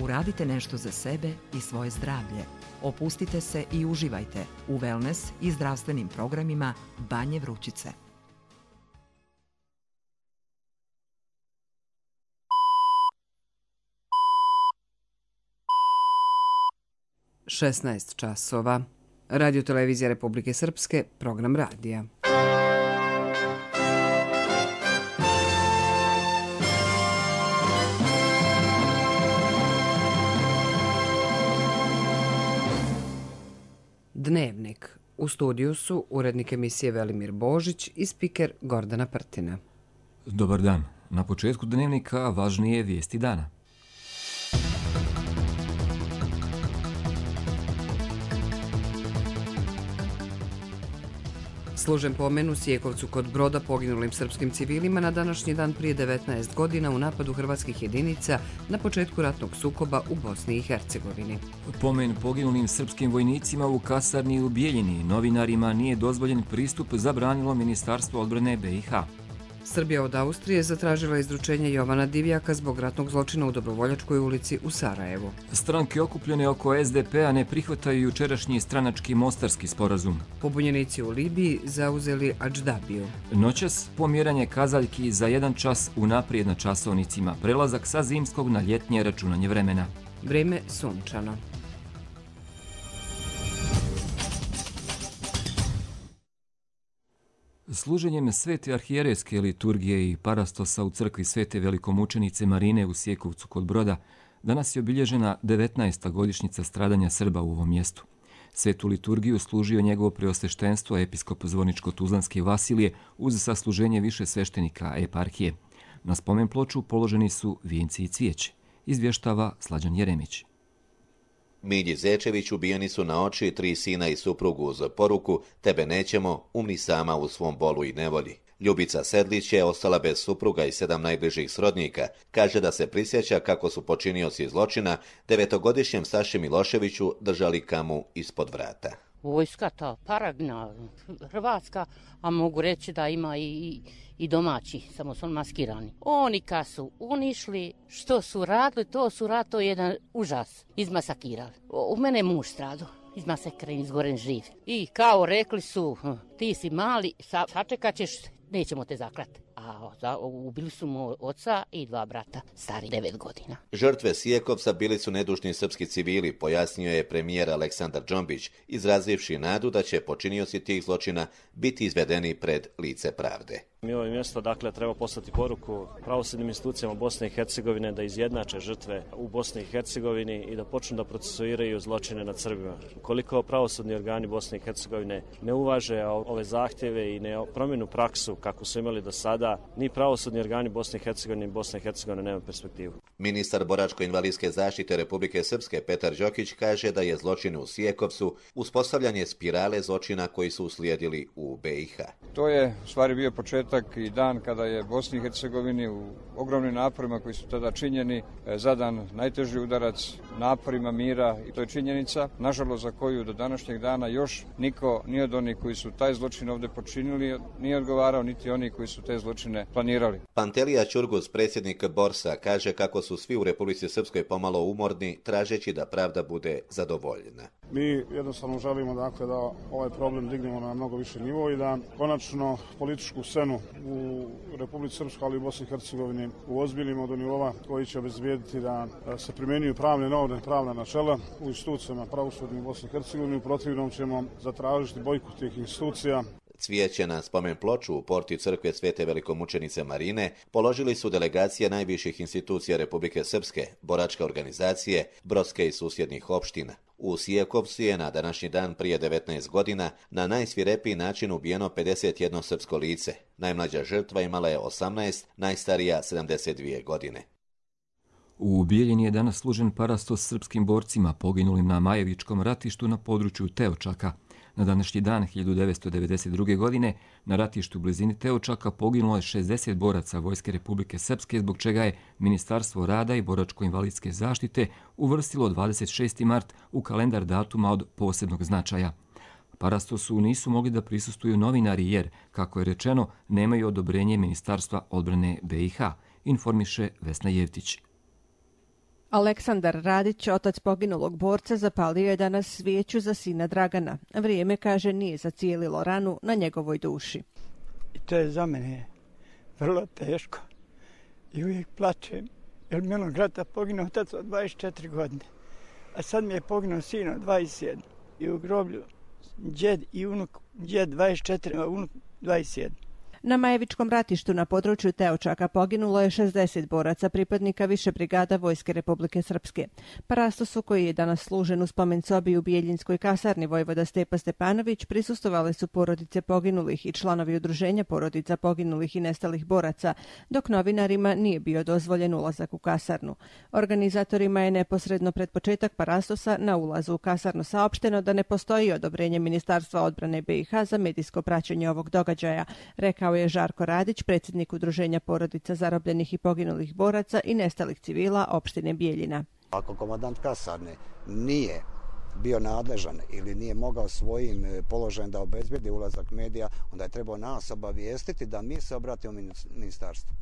Uradite nešto za sebe i svoje zdravlje. Opustite se i uživajte u wellness i zdravstvenim programima Banje Vrućice. Šesnaest časova. Radio Televizija Republike Srpske, program radija. Dnevnik. U studiju su urednik emisije Velimir Božić i spiker Gordana Prtina. Dobar dan. Na početku dnevnika važnije vijesti dana. Služen pomen u Sijekovcu kod Broda poginulim srpskim civilima na današnji dan prije 19 godina u napadu hrvatskih jedinica na početku ratnog sukoba u Bosni i Hercegovini. Pomen poginulim srpskim vojnicima u kasarni u Bijeljini novinarima nije dozvoljen pristup, zabranilo Ministarstvo odbrane BiH. Srbija od Austrije zatražila izručenje Jovana Divjaka zbog ratnog zločina u Dobrovoljačkoj ulici u Sarajevu. Stranke okupljene oko SDP-a ne prihvataju jučerašnji stranački mostarski sporazum. Pobunjenici u Libiji zauzeli Adždabiju. Noćas pomjeranje kazaljki za 1 čas unaprijed na časovnicima, prelazak sa zimskog na ljetnje računanje vremena. Vrijeme sunčano. Služenjem svete arhijerejske liturgije i parastosa u crkvi svete velikomučenice Marine u Sijekovcu kod Broda danas je obilježena 19. godišnjica stradanja Srba u ovom mjestu. Svetu liturgiju služio njegovo preosveštenstvo episkop Zvorničko-Tuzlanske Vasilije uz sasluženje više sveštenika eparhije. Na spomen ploču položeni su vijenci i cvijeće, izvještava Slađan Jeremić. Milji Zečević ubijeni su na oči 3 sina i suprugu uz poruku "Tebe nećemo, umri sama u svom bolu i nevolji". Ljubica Sedlić je ostala bez supruga i 7 najbližih srodnika. Kaže da se prisjeća kako su počinioci zločina 9-godišnjem Saši Miloševiću držali kamu ispod vrata. Vojska ta paragna, hrvatska, a mogu reći da ima i domaći, samo su maskirani. Oni kad su unišli, što su radili, to je jedan užas. Izmasakirali. U mene je muž stradao. Izmasakran, izgoren živ. I kao rekli su, ti si mali, sačekat ćeš, nećemo te zaklati. A ubili su mu oca i 2 brata, stari 9 godina. Žrtve Sijekovca bili su nedužni srpski civili, pojasnio je premijer Aleksandar Džombić, izrazivši nadu da će počinioci tih zločina biti izvedeni pred lice pravde. Mi ovo mjesto treba poslati poruku pravosudnim institucijama Bosne i Hercegovine da izjednače žrtve u Bosni i Hercegovini i da počnu da procesuiraju zločine nad Srbima. Ukoliko pravosudni organi Bosne i Hercegovine ne uvaže ove zahtjeve i ne promjenu praksu kako su imali do sada, ni pravosudni organi Bosne i Hercegovine ni Bosna i Hercegovina nema perspektivu. Ministar boračko-invalidske zaštite Republike Srpske Petar Đokić kaže da je zločin u Sijekovcu uspostavljanje spirale zločina koji su uslijedili u BiH. To je u stvari bio početak i dan kada je Bosni i Hercegovini u ogromnim naporima koji su tada činjeni zadan najteži udarac naporima mira i to je činjenica, nažalost za koju do današnjeg dana još niko ni od onih koji su taj zločin ovdje počinili nije odgovarao, niti oni koji su te zločine planirali. Pantelija Ćurgus, predsjednik Borsa, kaže kako su svi u Republici Srpskoj pomalo umorni, tražeći da pravda bude zadovoljena. Mi jednostavno želimo da ovaj problem dignemo na mnogo više nivo i da konačno političku scenu u Republici Srpskoj, ali i u Bosni i Hercegovini uozbiljimo do nivoa koji će obezbijediti da se primjenjuju pravne norme, pravna načela u institucijama pravosudnih u Bosni i Hercegovini. U protivnom ćemo zatražiti bojkot tih institucija. Cvijeće na spomen ploču u porti crkve svete velikomučenice Marine položili su delegacije najviših institucija Republike Srpske, boračke organizacije, brodske i susjednih opština. U Sijekovcu je na današnji dan prije 19 godina na najsvirepiji način ubijeno 51 srpsko lice. Najmlađa žrtva imala je 18, najstarija 72 godine. U Bijeljini je danas služen parastos srpskim borcima poginulim na Majevičkom ratištu na području Teočaka. Na današnji dan 1992. godine na ratištu u blizini Teočaka poginulo je 60 boraca Vojske Republike Srpske, zbog čega je Ministarstvo rada i boračko-invalidske zaštite uvrstilo 26. mart u kalendar datuma od posebnog značaja. Parastosu nisu mogli da prisustvuju novinari jer, kako je rečeno, nemaju odobrenje Ministarstva odbrane BiH, informiše Vesna Jevtić. Aleksandar Radić, otac poginulog borca, zapalio je danas svijeću za sina Dragana. Vrijeme, kaže, nije zacijelilo ranu na njegovoj duši. I to je za mene vrlo teško i uvijek plačem, jer milog rata poginuo otac od 24 godine, a sad mi je poginuo sin od 27 i u groblju djed i unuk, djed 24, a unuk 27. Na Majevičkom ratištu na području Teočaka poginulo je 60 boraca pripadnika više brigada Vojske Republike Srpske. Parastosu, koji je danas služen u spomen sobi u Bijeljinskoj kasarni vojvoda Stepa Stepanović, prisustvovali su porodice poginulih i članovi udruženja porodica poginulih i nestalih boraca, dok novinarima nije bio dozvoljen ulazak u kasarnu. Organizatorima je neposredno pred početak parastosa na ulazu u kasarnu saopšteno da ne postoji odobrenje Ministarstva odbrane BiH za medijsko praćenje ovog događaja, rekao je Žarko Radić, predsjednik udruženja porodica zarobljenih i poginulih boraca i nestalih civila opštine Bijeljina. Ako komandant kasarne nije bio nadležan ili nije mogao svojim položajem da obezbedi ulazak medija, onda je trebao nas obavijestiti da mi se obratimo ministarstvu.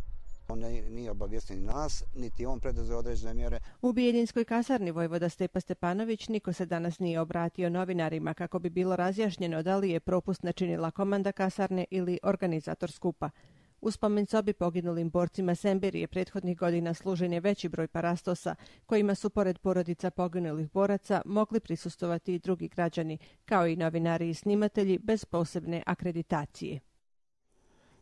On nije obavijestio ni nas, niti on preduzeo određene mjere. U Bijeljinskoj kasarni vojvoda Stepa Stepanović niko se danas nije obratio novinarima kako bi bilo razjašnjeno da li je propust načinila komanda kasarne ili organizator skupa. U spomen sobi poginulim borcima Semberije prethodnih godina služen je veći broj parastosa, kojima su pored porodica poginulih boraca mogli prisustovati i drugi građani, kao i novinari i snimatelji bez posebne akreditacije.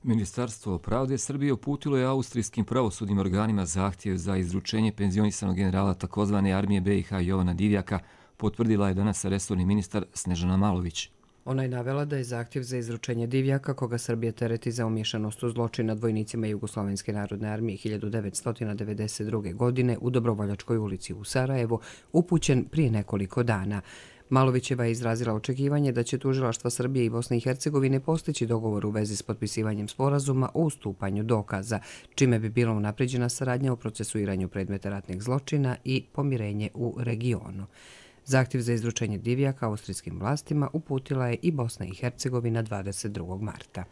Ministarstvo pravde Srbije uputilo je austrijskim pravosudnim organima zahtjev za izručenje penzionisanog generala takozvane armije BiH Jovana Divjaka, potvrdila je danas resorni ministar Snežana Malović. Ona je navela da je zahtjev za izručenje Divjaka, koga Srbija tereti za umješanost u zločin nad vojnicima Jugoslovenske narodne armije 1992. godine u Dobrovoljačkoj ulici u Sarajevu, upućen prije nekoliko dana. Malovićeva je izrazila očekivanje da će tužilaštva Srbije i Bosne i Hercegovine postići dogovor u vezi s potpisivanjem sporazuma o ustupanju dokaza, čime bi bila unapređena saradnja u procesuiranju predmeta ratnih zločina i pomirenje u regionu. Zahtjev za izručenje Divjaka austrijskim vlastima uputila je i Bosna i Hercegovina 22. marta.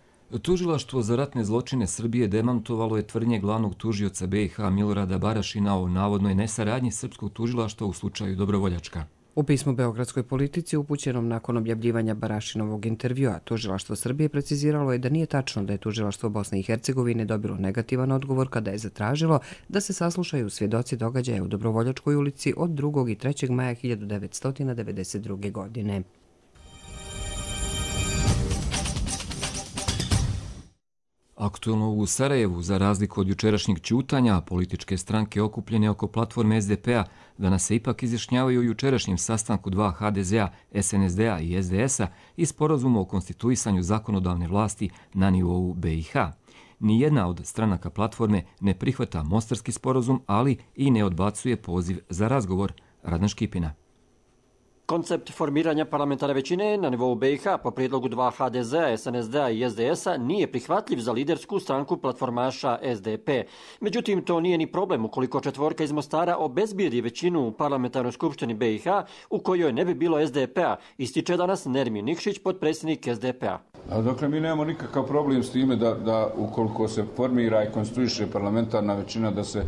Tužilaštvo za ratne zločine Srbije demantovalo je tvrdnje glavnog tužioca BiH Milorada Barašina o navodnoj nesaradnji srpskog tužilaštva u slučaju Dobrovoljačka. U pismu Beogradskoj politici upućenom nakon objavljivanja Barašinovog intervjua, tužilaštvo Srbije preciziralo je da nije tačno da je tužilaštvo Bosne i Hercegovine dobilo negativan odgovor kada je zatražilo da se saslušaju svjedoci događaja u Dobrovoljačkoj ulici od 2. i 3. maja 1992. godine. Aktuelno u Sarajevu, za razliku od jučerašnjeg ćutanja, političke stranke okupljene oko platforme SDP-a danas se ipak izjašnjavaju o jučerašnjem sastanku dva HDZ-a, SNSD-a i SDS-a i sporazumu o konstituisanju zakonodavne vlasti na nivou BiH. Nijedna od stranaka platforme ne prihvata mostarski sporazum, ali i ne odbacuje poziv za razgovor. Radan Škipina. Koncept formiranja parlamentarne većine na nivou BiH po prijedlogu dva HDZ-a, SNSD-a i SDS-a nije prihvatljiv za lidersku stranku platformaša SDP. Međutim, to nije ni problem ukoliko četvorka iz Mostara obezbijedi većinu u parlamentarnoj skupštini BiH u kojoj ne bi bilo SDP-a, ističe danas Nermin Nikšić, potpredsjednik SDP-a. Dakle, mi nemamo nikakav problem s time da ukoliko se formira i konstruiše parlamentarna većina da se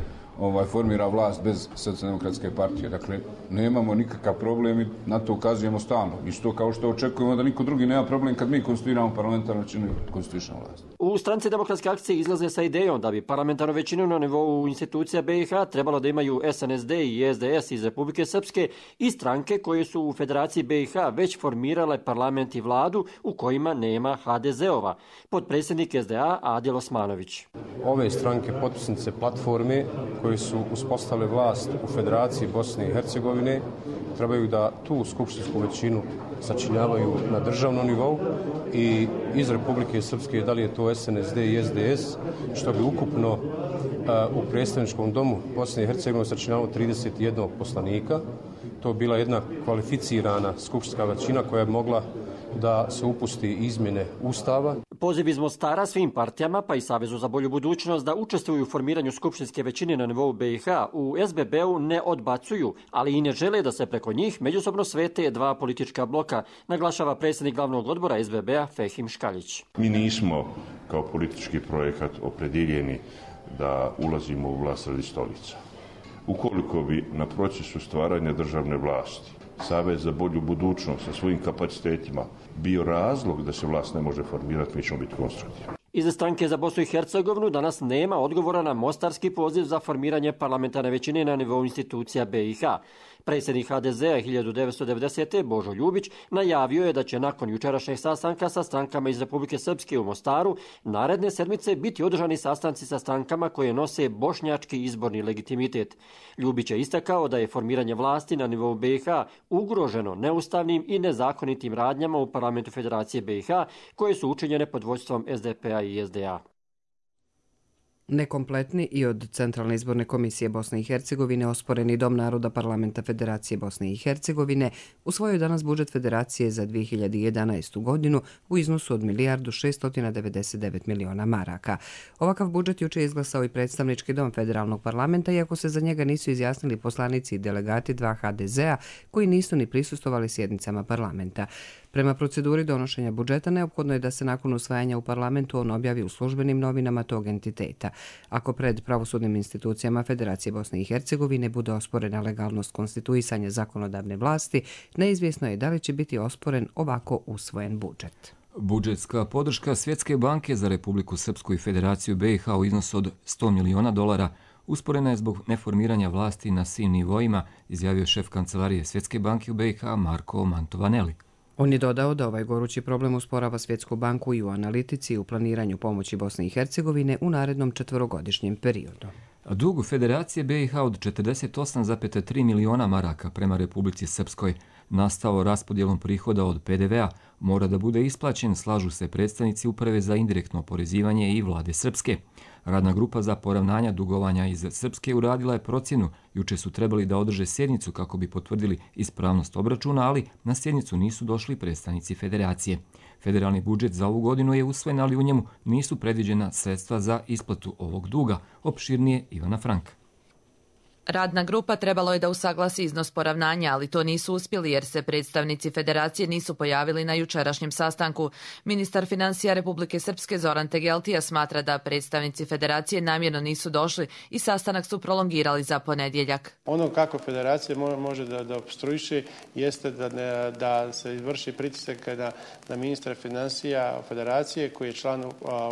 formira vlast bez Socijaldemokratske partije. Dakle, nemamo nikakav problem i na to ukazujemo stalno. Isto kao što očekujemo da niko drugi nema problem kad mi konstituiramo parlamentarnu većinu i konstituišemo vlast. U stranci Demokratske akcije izlaze sa idejom da bi parlamentarnu većinu na nivou institucija BiH trebalo da imaju SNSD i SDS iz Republike Srpske i stranke koje su u Federaciji BiH već formirale parlament i vladu u kojima nema HDZ-ova. Potpredsjednik SDA Adil Osmanović. Ove stranke potpisnice platforme koji su uspostavili vlast u Federaciji Bosne i Hercegovine trebaju da tu skupštinsku većinu sačinjavaju na državnom nivou i iz Republike Srpske, da li je to SNSD i SDS, što bi ukupno u predstavničkom domu Bosne i Hercegovine sačinjavalo 31 poslanika. To bi bila jedna kvalificirana skupštinska većina koja bi mogla da se upusti izmjene Ustava. Poziv iz Mostara svim partijama, pa i Savezu za bolju budućnost, da učestvuju u formiranju skupštinske većine na nivou BiH u SBB-u ne odbacuju, ali i ne žele da se preko njih međusobno svete dva politička bloka, naglašava predsjednik glavnog odbora SBB-a Fehim Škaljić. Mi nismo kao politički projekat opredjeljeni da ulazimo u vlast radi stolica. Ukoliko bi na procesu stvaranja državne vlasti Savez za bolju budućnost sa svojim kapacitetima bio razlog da se vlast ne može formirati, mi ćemo biti konstruktivni. Iz stranke za Bosnu i Hercegovinu danas nema odgovora na mostarski poziv za formiranje parlamentarne većine na nivou institucija BiH. Predsjednik HDZ-a 1990. Božo Ljubić najavio je da će nakon jučerašnjeg sastanka sa strankama iz Republike Srpske u Mostaru naredne sedmice biti održani sastanci sa strankama koje nose bošnjački izborni legitimitet. Ljubić je istakao da je formiranje vlasti na nivou BiH ugroženo neustavnim i nezakonitim radnjama u parlamentu Federacije BiH koje su učinjene pod vodstvom SDP-a i SDA. Nekompletni i od Centralne izborne komisije Bosne i Hercegovine osporeni Dom naroda Parlamenta Federacije Bosne i Hercegovine usvojio danas budžet Federacije za 2011. godinu u iznosu od 1.699 miliona maraka. Ovakav budžet juče je izglasao i predstavnički dom federalnog parlamenta, iako se za njega nisu izjasnili poslanici i delegati 2 HDZ-a koji nisu ni prisustvovali sjednicama parlamenta. Prema proceduri donošenja budžeta neophodno je da se nakon usvajanja u parlamentu on objavi u službenim novinama tog entiteta. Ako pred pravosudnim institucijama Federacije Bosne i Hercegovine bude osporena legalnost konstituisanja zakonodavne vlasti, neizvjesno je da li će biti osporen ovako usvojen budžet. Budžetska podrška Svjetske banke za Republiku Srpsku i Federaciju BiH u iznosu od $100 miliona usporena je zbog neformiranja vlasti na svim nivoima, izjavio šef kancelarije Svjetske banke u BiH Marko Mantovaneli. On je dodao da ovaj gorući problem usporava Svjetsku banku i u analitici i u planiranju pomoći Bosne i Hercegovine u narednom 4-godišnjem periodu. Dug Federacije BiH od 48,3 miliona maraka prema Republici Srpskoj, nastao raspodjelom prihoda od PDV-a, mora da bude isplaćen, slažu se predstavnici Uprave za indirektno oporezivanje i vlade Srpske. Radna grupa za poravnanja dugovanja iz Srpske uradila je procjenu. Juče su trebali da održe sjednicu kako bi potvrdili ispravnost obračuna, ali na sjednicu nisu došli predstavnici Federacije. Federalni budžet za ovu godinu je usvojen, ali u njemu nisu predviđena sredstva za isplatu ovog duga. Opširnije Ivana Franka. Radna grupa trebalo je da usaglasi iznos poravnanja, ali to nisu uspjeli jer se predstavnici Federacije nisu pojavili na jučerašnjem sastanku. Ministar financija Republike Srpske Zoran Tegeltija smatra da predstavnici Federacije namjerno nisu došli i sastanak su prolongirali za ponedjeljak. Ono kako Federacija može da opstruiše jeste da se vrši pritisak na ministra financija Federacije koji je član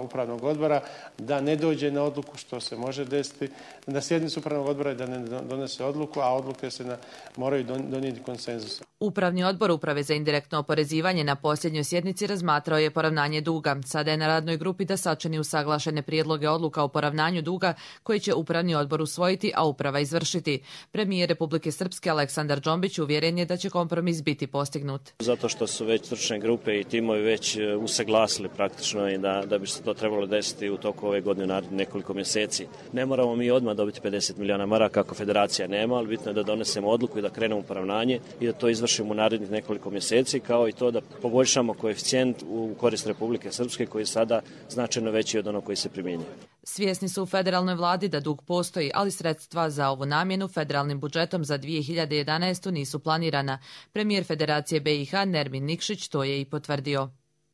upravnog odbora da ne dođe na odluku, što se može desiti na sjednicu upravnog odbora, da ne donese odluku, a odluke se moraju donijeti konsenzusom. Upravni odbor Uprave za indirektno oporezivanje na posljednjoj sjednici razmatrao je poravnanje duga. Sada je na radnoj grupi da sačini usaglašene prijedloge odluka o poravnanju duga koji će Upravni odbor usvojiti, a Uprava izvršiti. Premijer Republike Srpske Aleksandar Džombić uvjeren je da će kompromis biti postignut. Zato što su već stručne grupe i timovi već usaglasili praktično i da bi se to trebalo desiti u toku ove godine narednih nekoliko mjeseci. Ne moramo mi odmah dobiti 50 miliona maraka kako Federacija nema, ali bitno je da donesemo odluku i da krenemo u poravnanje i da to izvršimo u narednih nekoliko mjeseci, kao i to da poboljšamo koeficijent u korist Republike Srpske koji je sada značajno veći od onog koji se primjenjuje. Svjesni su u federalnoj vladi da dug postoji, ali sredstva za ovu namjenu federalnim budžetom za 2011. nisu planirana. Premijer Federacije BiH Nermin Nikšić to je i potvrdio.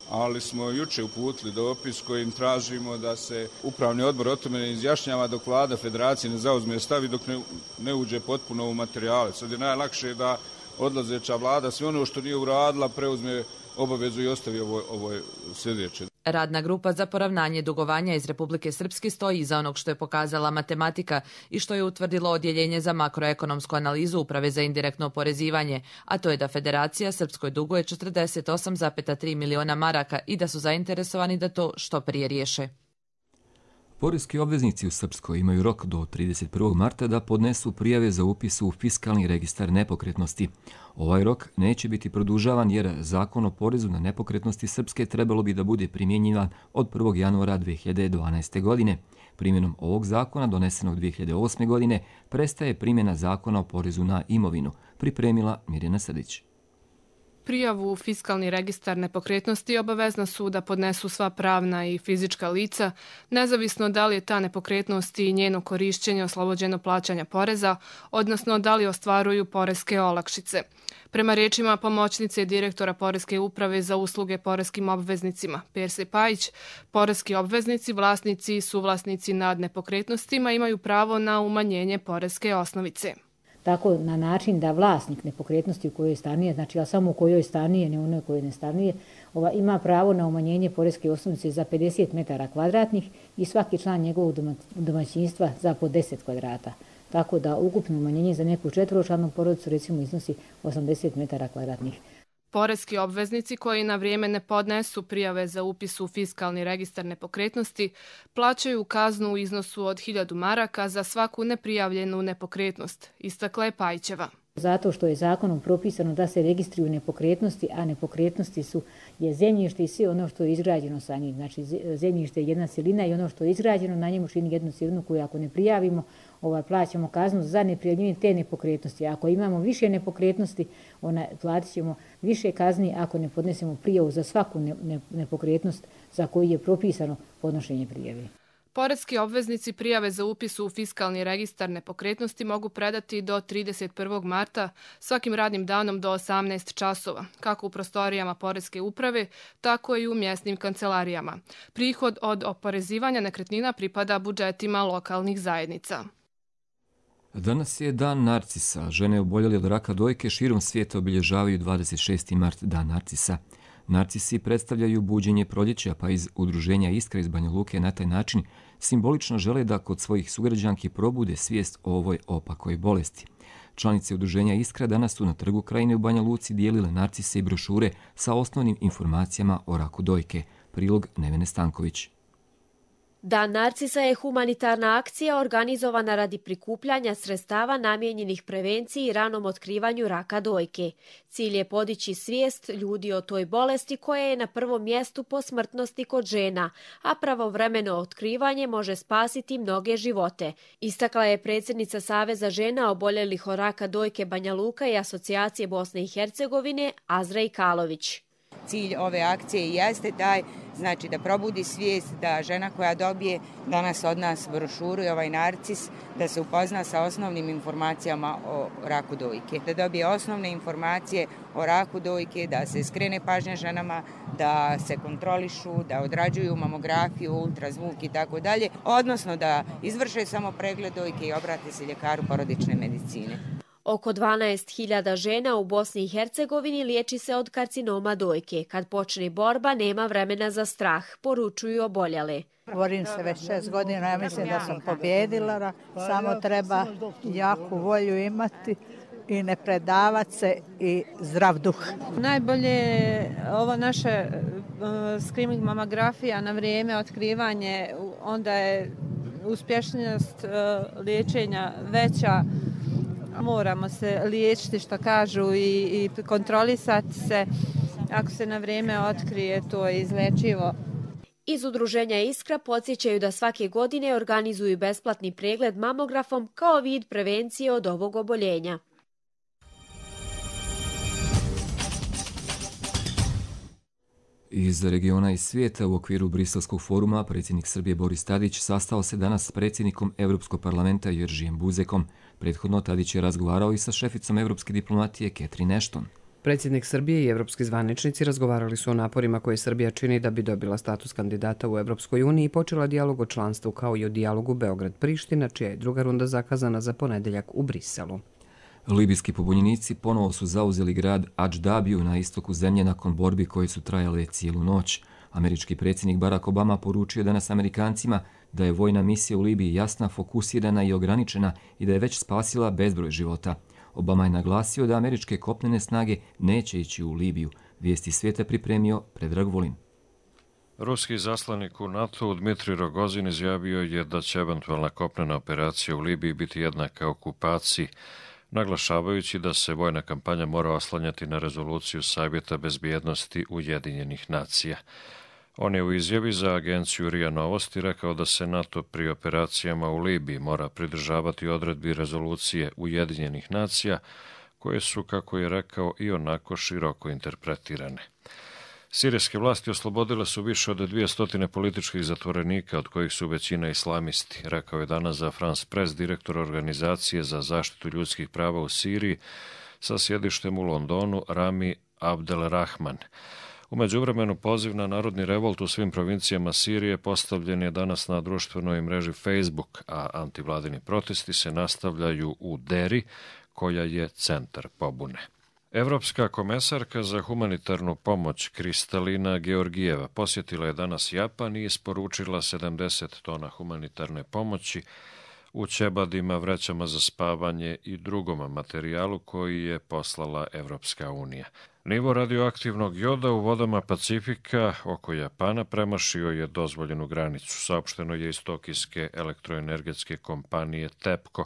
Ali smo juče uputili dopis kojim tražimo da se upravni odbor o tome ne izjašnjava dok vlada Federacije ne zauzme stav i dok ne uđe potpuno u materijale. Sad je najlakše da odlazeća vlada sve ono što nije uradila preuzme obavezu i ostavi ovo sljedeće. Radna grupa za poravnanje dugovanja iz Republike Srpske stoji iza onog što je pokazala matematika i što je utvrdilo odjeljenje za makroekonomsku analizu Uprave za indirektno oporezivanje, a to je da Federacija Srpskoj duguje 48,3 miliona maraka i da su zainteresovani da to što prije riješe. Poreski obveznici u Srpskoj imaju rok do 31. marta da podnesu prijave za upis u fiskalni registar nepokretnosti. Ovaj rok neće biti produžavan jer Zakon o porezu na nepokretnosti Srpske trebalo bi da bude primjenjivan od 1. januara 2012. godine. Primjenom ovog zakona, donesenog 2008. godine, prestaje primjena Zakona o porezu na imovinu, pripremila Mirjana Srdić. Prijavu u fiskalni registar nepokretnosti obavezna su da podnesu sva pravna i fizička lica, nezavisno da li je ta nepokretnost i njeno korišćenje oslobođeno plaćanja poreza, odnosno da li ostvaruju poreske olakšice. Prema rečima pomoćnice direktora Poreske uprave za usluge poreskim obveznicima, Perse Pajić, poreski obveznici, vlasnici i suvlasnici nad nepokretnostima imaju pravo na umanjenje poreske osnovice. Tako na način da vlasnik nepokretnosti u kojoj stanuje, znači ja samo u kojoj stanuje, ne onoj kojoj ne stanuje, ima pravo na umanjenje poreske osnovice za 50 metara kvadratnih i svaki član njegovog domaćinstva za po 10 kvadrata. Tako da ukupno umanjenje za neku četvoročlanu porodicu recimo iznosi 80 metara kvadratnih. Poreski obveznici koji na vrijeme ne podnesu prijave za upis u fiskalni registar nepokretnosti plaćaju kaznu u iznosu od 1000 maraka za svaku neprijavljenu nepokretnost, istakla je Pajićeva. Zato što je zakonom propisano da se registruju nepokretnosti, a nepokretnosti je zemljište i sve ono što je izgrađeno sa njim. Znači zemljište je jedna cjelina i ono što je izgrađeno na njemu čini jednu cjelinu koju ako ne prijavimo, plaćamo kaznu za neprijavljivanje te nepokretnosti. Ako imamo više nepokretnosti, platit ćemo više kazni ako ne podnesemo prijavu za svaku nepokretnost za koju je propisano podnošenje prijave. Poreski obveznici prijave za upis u fiskalni registar nepokretnosti mogu predati do 31. marta svakim radnim danom do 18 časova, kako u prostorijama Poreske uprave, tako i u mjesnim kancelarijama. Prihod od oporezivanja nekretnina pripada budžetima lokalnih zajednica. Danas je Dan narcisa. Žene oboljele od raka dojke širom svijeta obilježavaju 26. mart, Dan narcisa. Narcisi predstavljaju buđenje proljeća, pa iz udruženja Iskra iz Banja Luke na taj način simbolično žele da kod svojih sugrađanki probude svijest o ovoj opakoj bolesti. Članice udruženja Iskra danas su na Trgu Krajine u Banja Luci dijelile narcise i brošure sa osnovnim informacijama o raku dojke. Prilog Nevene Stanković. Dan narcisa je humanitarna akcija organizovana radi prikupljanja sredstava namijenjenih prevenciji i ranom otkrivanju raka dojke. Cilj je podići svijest ljudi o toj bolesti koja je na prvom mjestu po smrtnosti kod žena, a pravovremeno otkrivanje može spasiti mnoge živote. Istakla je predsjednica Saveza žena oboljelih od raka dojke Banja Luka i Asocijacije Bosne i Hercegovine Azra Ikalović. Cilj ove akcije jeste taj, znači da probudi svijest da žena koja dobije danas od nas brošuru i ovaj narcis, da se upozna sa osnovnim informacijama o raku dojke. Da dobije osnovne informacije o raku dojke, da se skrene pažnja ženama, da se kontrolišu, da odrađuju mamografiju, ultrazvuk i tako dalje, odnosno da izvrše samo pregled dojke i obrate se ljekaru porodične medicine. Oko 12.000 žena u Bosni i Hercegovini liječi se od karcinoma dojke. Kad počne borba, nema vremena za strah, poručuju oboljele. Borim se već 6 godina, ja mislim da sam pobjedila, samo treba jaku volju imati i ne predavat se i zdrav duh. Najbolje je ovo naše screening mamografija na vrijeme, otkrivanje, onda je uspješnost liječenja veća. Moramo se liječiti što kažu i kontrolisati se. Ako se na vrijeme otkrije, to je izlečivo. Iz udruženja Iskra podsjećaju da svake godine organizuju besplatni pregled mamografom kao vid prevencije od ovog oboljenja. Iz regiona i svijeta u okviru Briselskog foruma predsjednik Srbije Boris Tadić sastao se danas s predsjednikom Europskog parlamenta Jeržijem Buzekom. Prethodno Tadić je razgovarao i sa šeficom europske diplomatije Catherine Ashton. Predsjednik Srbije i evropski zvaničnici razgovarali su o naporima koje Srbija čini da bi dobila status kandidata u Evropskoj uniji i počela dijalog o članstvu kao i o dijalogu Beograd-Priština, čija je druga runda zakazana za ponedjeljak u Briselu. Libijski pobunjenici ponovo su zauzeli grad Adždabiju na istoku zemlje nakon borbi koje su trajale cijelu noć. Američki predsjednik Barack Obama poručio danas Amerikancima da je vojna misija u Libiji jasna, fokusirana i ograničena i da je već spasila bezbroj života. Obama je naglasio da američke kopnene snage neće ići u Libiju. Vijesti svijeta pripremio Predrag Volin. Ruski zaslanik u NATO Dmitrij Rogozin izjavio je da će eventualna kopnena operacija u Libiji biti jednaka okupaciji, naglašavajući da se vojna kampanja mora oslanjati na rezoluciju Savjeta bezbjednosti Ujedinjenih nacija. On je u izjavi za agenciju RIA Novosti rekao da se NATO pri operacijama u Libiji mora pridržavati odredbi rezolucije Ujedinjenih nacija koje su, kako je rekao, i onako široko interpretirane. Sirijske vlasti oslobodile su više od 200 političkih zatvorenika, od kojih su većina islamisti, rekao je danas za France Press direktor Organizacije za zaštitu ljudskih prava u Siriji sa sjedištem u Londonu Rami Abdelrahman. U međuvremenu poziv na narodni revolt u svim provincijama Sirije postavljen je danas na društvenoj mreži Facebook, a antivladini protesti se nastavljaju u Deri, koja je centar pobune. Evropska komesarka za humanitarnu pomoć Kristalina Georgijeva posjetila je danas Japan i isporučila 70 tona humanitarne pomoći u ćebadima, vrećama za spavanje i drugom materijalu koji je poslala Evropska unija. Nivo radioaktivnog joda u vodama Pacifika oko Japana premašio je dozvoljenu granicu, saopšteno je iz tokijske elektroenergetske kompanije TEPCO,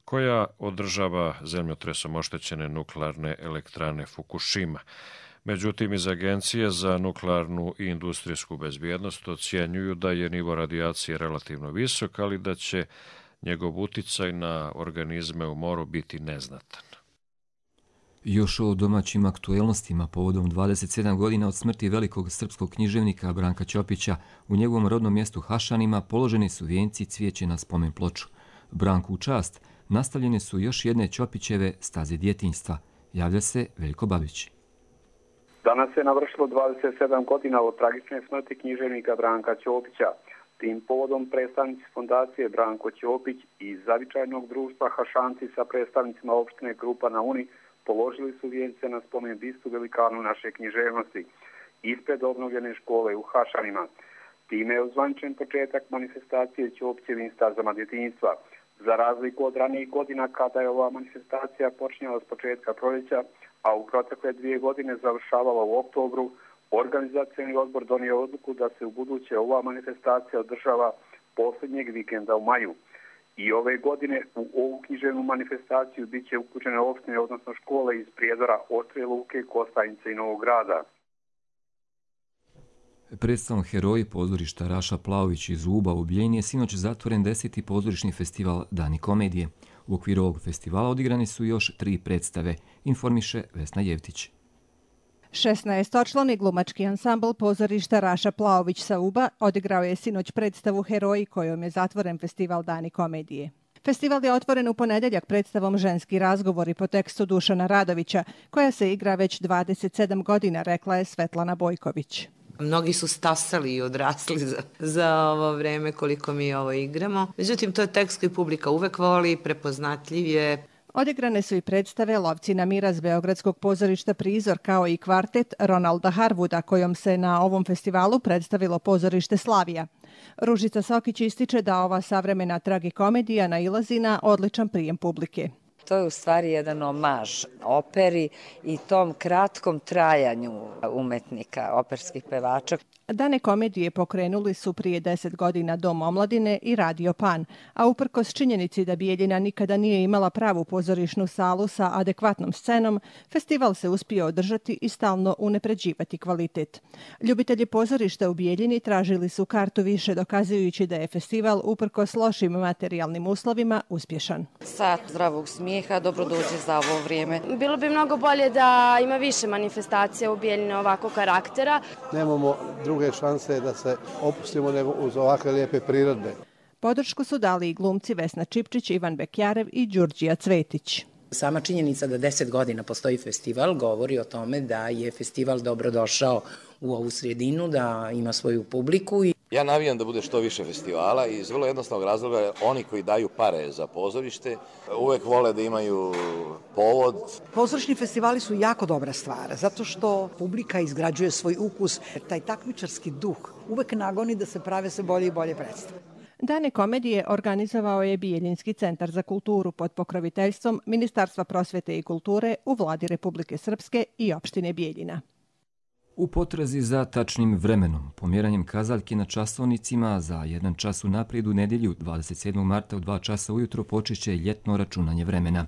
koja održava zemljotresom oštećene nuklearne elektrane Fukushima. Međutim, iz Agencije za nuklearnu i industrijsku bezbjednost ocjenjuju da je nivo radijacije relativno visok, ali da će njegov uticaj na organizme u moru biti neznatan. Još o domaćim aktuelnostima povodom 27 godina od smrti velikog srpskog književnika Branka Ćopića u njegovom rodnom mjestu Hašanima položeni su vijenci cvijeće na spomen ploču. Branku u čast nastavljene su još jedne Ćopićeve staze djetinjstva. Javlja se Veljko Babić. Danas je navršilo 27 godina od tragične smrti književnika Branka Ćopića. Tim povodom predstavnici fondacije Branko Ćopić i zavičajnog društva Hašanci sa predstavnicima opštine Krupa na Uni položili su vijence na spomen bistu velikanu naše književnosti ispred obnovljene škole u Hašanima. Time je ozvaničen početak manifestacije Ćopićevim stazama djetinjstva. Za razliku od ranijih godina kada je ova manifestacija počinjala s početka proljeća, a u protekle 2 godine završavala u oktobru, organizacioni odbor donio odluku da se u buduće ova manifestacija održava posljednjeg vikenda u maju. I ove godine u ovu književnu manifestaciju bit će uključene opštine, odnosno škole iz Prijedora, Ostrije Luke, Kostajnice i Novog Grada. Predstavom Heroji pozorišta Raša Plaović iz Uba u Bijeljini je sinoć zatvoren 10. pozorišni festival Dani komedije. U okviru ovog festivala odigrani su još 3 predstave, informiše Vesna Jevtić. 16-člani glumački ansambl pozorišta Raša Plaović sa Uba odigrao je sinoć predstavu Heroji kojom je zatvoren festival Dani komedije. Festival je otvoren u ponedjeljak predstavom Ženski razgovori po tekstu Dušana Radovića, koja se igra već 27 godina, rekla je Svetlana Bojković. Mnogi su stasali i odrasli za ovo vreme koliko mi ovo igramo. Međutim, to je tekst koji publika uvek voli, prepoznatljiv je. Odigrane su i predstave Lovci na miraz Beogradskog pozorišta Prizor, kao i kvartet Ronalda Harwooda, kojom se na ovom festivalu predstavilo pozorište Slavija. Ružica Sokić ističe da ova savremena tragikomedija nailazi na odličan prijem publike. To je u stvari jedan omaž operi i tom kratkom trajanju umetnika, operskih pevača. Dane komedije pokrenuli su prije 10 godina Dom omladine i Radio Pan, a uprkos činjenici da Bijeljina nikada nije imala pravu pozorišnu salu sa adekvatnom scenom, festival se uspio održati i stalno unapređivati kvalitet. Ljubitelji pozorišta u Bijeljini tražili su kartu više, dokazujući da je festival uprkos lošim materijalnim uslovima uspješan. Sat zdravog smijeha, dobro dođe za ovo vrijeme. Bilo bi mnogo bolje da ima više manifestacija u Bijeljini ovakvog karaktera. Nemamo druge šanse da se opustimo nego uz ovakve lijepe prirodbe. Podršku su dali i glumci Vesna Čipčić, Ivan Bekjarev i Đurđija Cvetić. Sama činjenica da 10 godina postoji festival govori o tome da je festival dobro došao u ovu sredinu, da ima svoju publiku. Ja navijam da bude što više festivala iz vrlo jednostavnog razloga. Oni koji daju pare za pozorište uvek vole da imaju povod. Pozorišni festivali su jako dobra stvar, zato što publika izgrađuje svoj ukus. Taj takmičarski duh uvek nagoni da se prave sve bolje i bolje predstave. Dane komedije organizovao je Bijeljinski centar za kulturu pod pokroviteljstvom Ministarstva prosvete i kulture u vladi Republike Srpske i opštine Bijeljina. U potrazi za tačnim vremenom, pomjeranjem kazaljke na časovnicima za 1 čas unaprijed u nedjelju 27. marta u 2 časa ujutro počeće ljetno računanje vremena.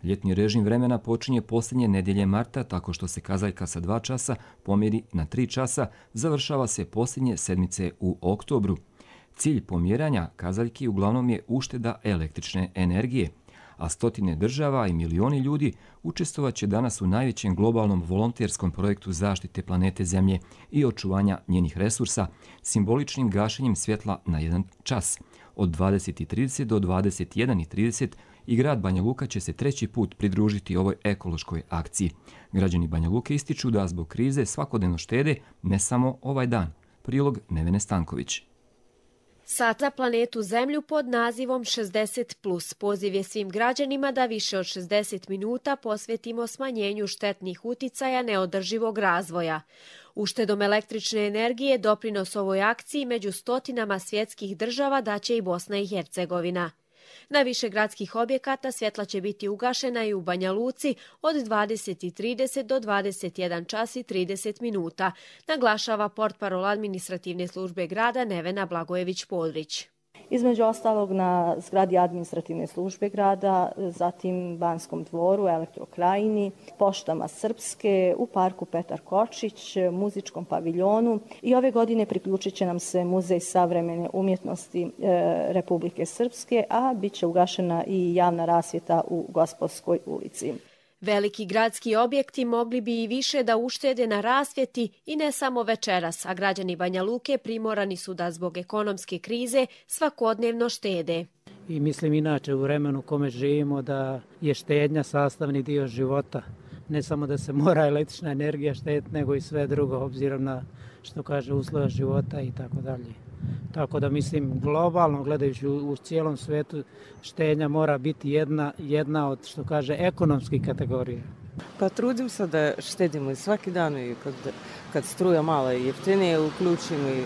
Ljetni režim vremena počinje posljednje nedjelje marta tako što se kazaljka sa 2 časa pomjeri na 3 časa, završava se posljednje sedmice u oktobru. Cilj pomjeranja kazaljki uglavnom je ušteda električne energije, a stotine država i milioni ljudi učestvovaće danas u najvećem globalnom volonterskom projektu zaštite planete Zemlje i očuvanja njenih resursa, simboličnim gašenjem svjetla na 1 čas. Od 20:30 do 21:30 i grad Banja Luka će se 3. put pridružiti ovoj ekološkoj akciji. Građani Banja Luke ističu da zbog krize svakodnevno štede, ne samo ovaj dan. Prilog Nevene Stanković. Sat za planetu Zemlju pod nazivom 60+. Poziv je svim građanima da više od 60 minuta posvetimo smanjenju štetnih uticaja neodrživog razvoja. Uštedom električne energije doprinos ovoj akciji među stotinama svjetskih država daće i Bosna i Hercegovina. Na više gradskih objekata svjetla će biti ugašena i u Banja Luci od 20:30 do 21 čas i 30 minuta, naglašava portparol administrativne službe grada Nevena Blagojević-Podrić. Između ostalog na zgradi administrativne službe grada, zatim Banskom dvoru, Elektrokrajini, poštama Srpske, u parku Petar Kočić, muzičkom paviljonu i ove godine priključit će nam se Muzej savremene umjetnosti Republike Srpske, a bit će ugašena i javna rasvjeta u Gospodskoj ulici. Veliki gradski objekti mogli bi i više da uštede na rasvjeti i ne samo večeras, a građani Banja Luke primorani su da zbog ekonomske krize svakodnevno štede. I mislim inače u vremenu u kome živimo da je štednja sastavni dio života. Ne samo da se mora električna energija štediti, nego i sve drugo, obzirom na što kaže uslova života i tako dalje. Tako da mislim globalno gledajući u cijelom svijetu štednja mora biti jedna od što kaže ekonomskih kategorija. Pa trudim se da štedimo i svaki dan i kad struja malo jeftinije uključimo i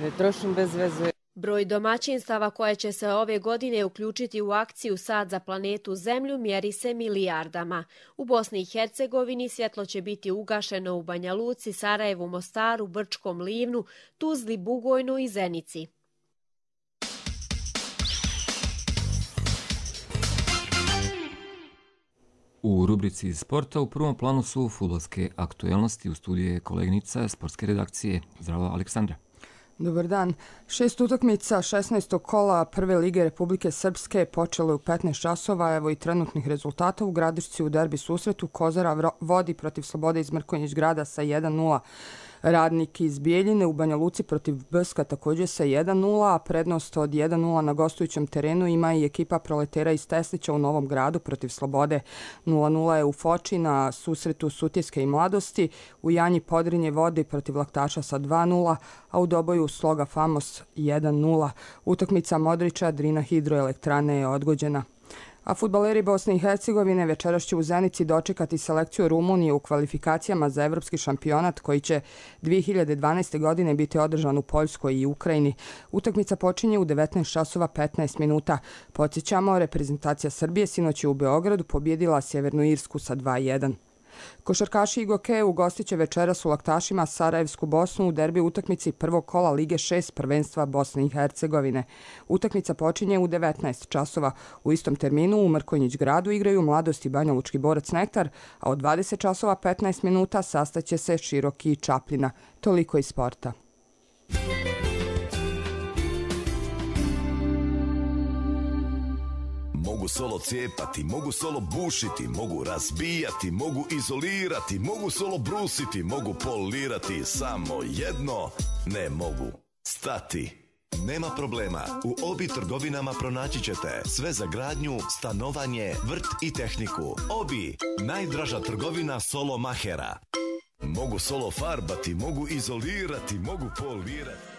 ne trošim bez veze. Broj domaćinstava koje će se ove godine uključiti u akciju Sat za planetu Zemlju mjeri se milijardama. U Bosni i Hercegovini svjetlo će biti ugašeno u Banja Luci, Sarajevu, Mostaru, Brčkom, Livnu, Tuzli, Bugojnu i Zenici. U rubrici sporta u prvom planu su fudbalske aktuelnosti. U studiju je koleginica sportske redakcije. Zdravo, Aleksandra. Dobar dan. 6 utakmica 16. kola Prve lige Republike Srpske počelo je u 15 časova. Evo i trenutnih rezultata. U Gradišci u derbi susretu Kozara vodi protiv Slobode iz Mrkonjić grada sa 1:0. Radnik iz Bijeljine u Banja Luci protiv Brska također sa 1:0, a prednost od 1:0 na gostujućem terenu ima i ekipa Proletera iz Teslića u Novom Gradu protiv Slobode. 0:0 je u Foči na susretu Sutjeske i Mladosti. U Janji Podrinje vodi protiv Laktaša sa 2:0, a u Doboju Sloga Famos 1:0. Utakmica Modrića Drina hidroelektrane je odgođena. A fudbaleri Bosne i Hercegovine večeras će u Zenici dočekati selekciju Rumunije u kvalifikacijama za evropski šampionat koji će 2012. godine biti održan u Poljskoj i Ukrajini. Utakmica počinje u 19 časova 15 minuta. Podsjećamo, reprezentacija Srbije sinoć je u Beogradu pobjedila Sjevernu Irsku sa 2:1. Košarkaši Igoke ugostit će večeras u Laktašima Sarajevsku Bosnu u derbi utakmici prvog kola Lige 6 prvenstva Bosne i Hercegovine. Utakmica počinje u 19 časova. U istom terminu u Mrkonjić gradu igraju Mladost i Banja Lučki borac Nektar, a od 20 časova 15 minuta sastaće se Široki i Čapljina. Toliko iz sporta. Mogu solo cijepati, mogu solo bušiti, mogu razbijati, mogu izolirati, mogu solo brusiti, mogu polirati, samo jedno ne mogu stati. Nema problema, u Obi trgovinama pronaći ćete sve za gradnju, stanovanje, vrt i tehniku. Obi, najdraža trgovina solo mahera. Mogu solo farbati, mogu izolirati, mogu polirati.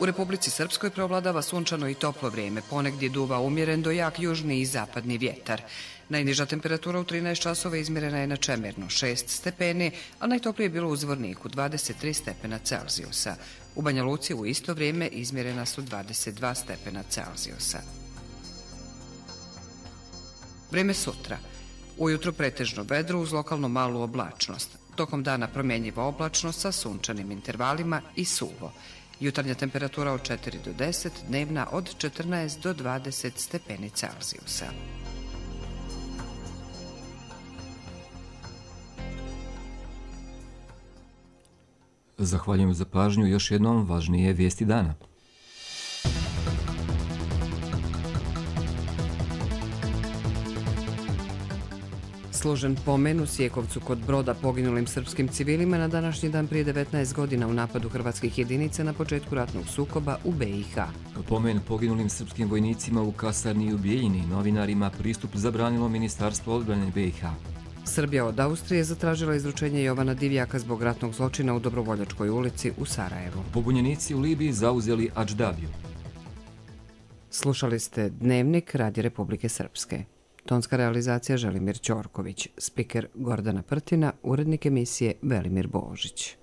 U Republici Srpskoj preovladava sunčano i toplo vrijeme, ponegdje duva umjeren do jak južni i zapadni vjetar. Najniža temperatura u 13 časova izmjerena je na Čemernu 6 stepeni, a najtoplije je bilo u Zvorniku 23 stepena Celzijusa. U Banja Luci u isto vrijeme izmjerena su 22 stepena Celzijusa. Vrijeme sutra. Ujutro pretežno vedro uz lokalno malu oblačnost. Tokom dana promjenjiva oblačnost sa sunčanim intervalima i suvo. Jutarnja temperatura od 4 do 10, dnevna od 14 do 20 stepeni Celzijusa. Zahvaljujem za pažnju. Još jednom važnije vijesti dana. Složen pomen u Sjekovcu kod Broda poginulim srpskim civilima na današnji dan prije 19 godina u napadu hrvatskih jedinica na početku ratnog sukoba u BiH. Pomen poginulim srpskim vojnicima u kasarni i u Bijeljini novinarima pristup zabranilo Ministarstvo odbrane BiH. Srbija od Austrije zatražila izručenje Jovana Divjaka zbog ratnog zločina u Dobrovoljačkoj ulici u Sarajevu. Pobunjenici u Libiji zauzeli Adždabiju. Slušali ste Dnevnik Radija Republike Srpske. Tonska realizacija Želimir Ćorković, spiker Gordana Prtina, urednik emisije Velimir Božić.